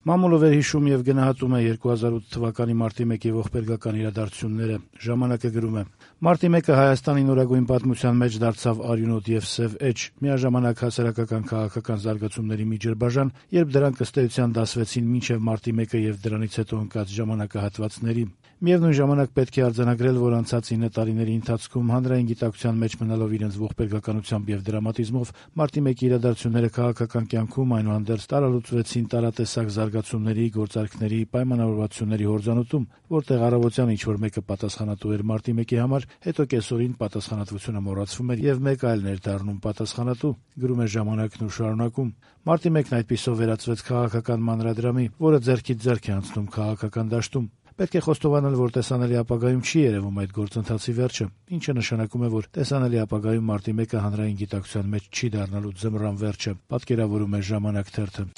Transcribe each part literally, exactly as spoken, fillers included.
Մամուլը վերհիշում եւ գնահատում է երկու հազար ութ թվականի մարտի մեկի ողբերգական իրադարձությունները։ Ժամանակը գրում է. «Մարտի մեկը Հայաստանի նորագույն պատմության մեջ դարձավ արյունոտ եւ սեւ էջ, միաժամանակ հասարակական քաղաքական զարգացումների մի ջրբաժան, երբ դրանք ըստ էության դասվեցին մինչեւ մարտի մեկը եւ դրանից հետո ընկած ժամանակահատվածների։ Միևնույն ժամանակ պետք է արձանագրել, որ անցած ինը տարիների ընթացքում հանրային գիտակցության մեջ մնալով իրենց ողբերգականությամբ եւ դրամատիզմով մարտի մեկի իրադարձությունները քաղաքական կյանքում այնուհանդերձ տարալուծվեցին տարատեսակ զարգացումների, գործարքների, պայմանավորվածությունների հորձանուտում, որտեղ առավոտյան ինչ-որ մեկը պատասխանատու էր մարտի մեկի համար, հետո կեսօրին պատասխանատվությունը մոռացվում էր եւ մեկ այլն էր դառնում պատասխանատու», գրում է «Ժամանակն» ու շարունակում. «Մարտի մեկն այդպիսով վերածվեց քաղաքական մանրադրամի, որը ձեռքից ձեռք է անցնում քաղաքական դաշտում։ Պետք է խոստովանել, որ տեսանելի ապագայում չի երևում այդ գործընթացի վերջը, ինչը նշանակում է, որ տեսանելի ապագայում մարտի մեկը հանրային գիտակցության մեջ չի դառնալու ձմռան վերջը», պատկերավորում է «Ժամանակ» թերթը։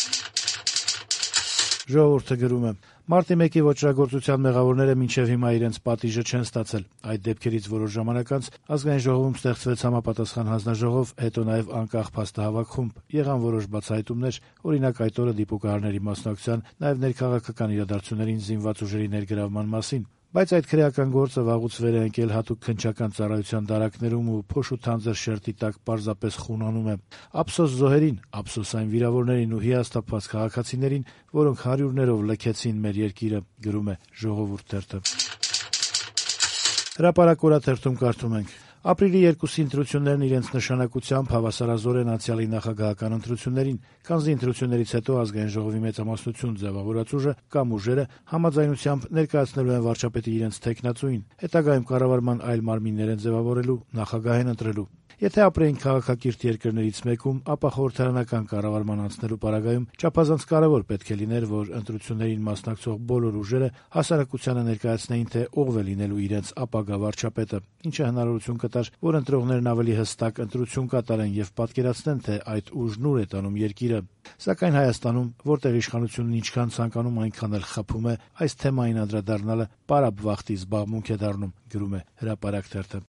«Ժողովուրդ»-ը գրում է. «Մարտի մեկի ոճրագործության մեղավորները մինչև հիմա իրենց պատիժը չեն ստացել։ Այդ դեպքերից որոշ ժամանակ անց Ազգային ժողովում ստեղծվեց համապատասխան հանձնաժողով, հետո նաև անկախ փաստահավաք խումբ, եղան որոշ բացահայտումներ, օրինակ այդ օրը դիպուկահարների մասնակցության, նաև ներքաղաքական իրադարձություններին զինված ուժերի ներգրավման մասին։ Բայց այդ քրեական գործը վաղուց վեր է ընկել հատուկ քննչական ծառայության դարակներում ու փոշ ու թանձր շերտի տակ պարզապես խունանում է։ Ափսոս զոհերին, ափսոս այն վիրավորներին ու հիասթափված քաղաքացիներին, որոնք հարյուրներով լքեցին մեր երկիրը», գրում է «Ժողովուրդ» թերթը։ «Հրապարակ» օրաթերթում կարդում ենք. «Ապրիլի երկուսի ընտրություններն իրենց նշանակությամբ հավասարազոր են անցյալի նախագահական ընտրություններին, քանզի ընտրություններից հետո Ազգային ժողովի մեծամասնություն ձևավորած ուժը կամ ուժերը համաձայնությամբ ներկայացնելու են վարչապետի իրենց թեկնածուին, հետագայում կառավարման այլ մարմիններ են ձևավորելու, նախագահ են ընտրելու։ Եթե ապրեինք քաղաքակիրթ երկրներից մեկում, ապա խորհրդարանական կառավարման անցնելու պարագայում չափազանց կարևոր պետք է լիներ, որ ընտրություններին մասնակցող բոլոր ուժերը հասարակությանը ներկայացնեին, թե ով է լինելու իրենց ապագա վարչապետը, ինչը հնարավորություն կտար, որ ընտրողներն ավելի հստակ ընտրություն կատարեն եւ պատկերացնեն, թե այդ ուժն ուր է տանում երկիրը։ Սակայն Հայաստանում, որտեղ իշխանությունն ինչքան ցանկանում, այնքան էլ խփում է, այս թեմային անդրադառնալը պարապ վախտի զբաղմունք է դառնում», գրում է «Հրապարակ» թերթը։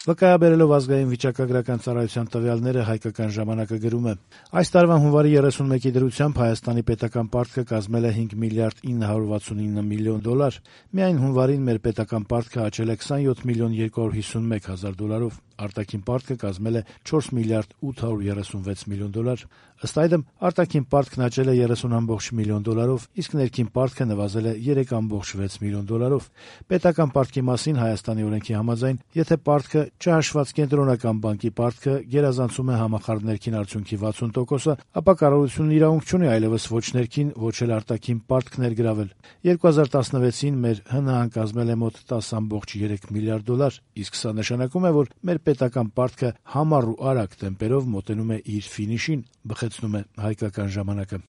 Վկայաբերելով Ազգային վիճակագրական ծառայության տվյալները «Հայկական ժամանակը» գրում է. «Այս տարվա հունվարի երեսունմեկի դրությամբ Հայաստանի պետական պարտքը կազմել է հինգ միլիարդ ինը հարյուր վաթսունինը միլիոն դոլար։ Միայն հունվարին մեր պետական պարտքը աճել է քսանյոթ միլիոն երկու հարյուր հիսունմեկ հազար դոլարով, արտաքին պարտքը կազմել է չորս միլիարդ ութ հարյուր երեսունվեց միլիոն դոլար։ Ըստ այդմ, արտաքին պարտքն աճել է երեսուն կόμμα վեց միլիոն դոլարով, իսկ ներքին պարտքը նվազել է երեք կόμμα վեց միլիոն դոլարով։ Պետական պարտքի մասին Հայաստանի օրենքի համաձայն, եթե պարտքը, չհաշված կենտրոնական բանկի պարտքը, գերազանցում է համախառն ներքին արդյունքի վաթսուն տոկոսը, ապա կառավարությունն իրավունք չունի այլևս ոչ ներքին, ոչ էլ արտաքին պարտք ներգրավել։ երկու հազար տասնվեցին մեր ՀՆՀ-ն կազմել է մոտ տասը կόμμα երեք միլիարդ դոլար, իսկ սա նշանակում է, որ մեր պետական պարտքը համառ ու արագ տեմպերով մոտենում է իր ֆինիշին», բխեցնում է «Հայկական ժամանակը»։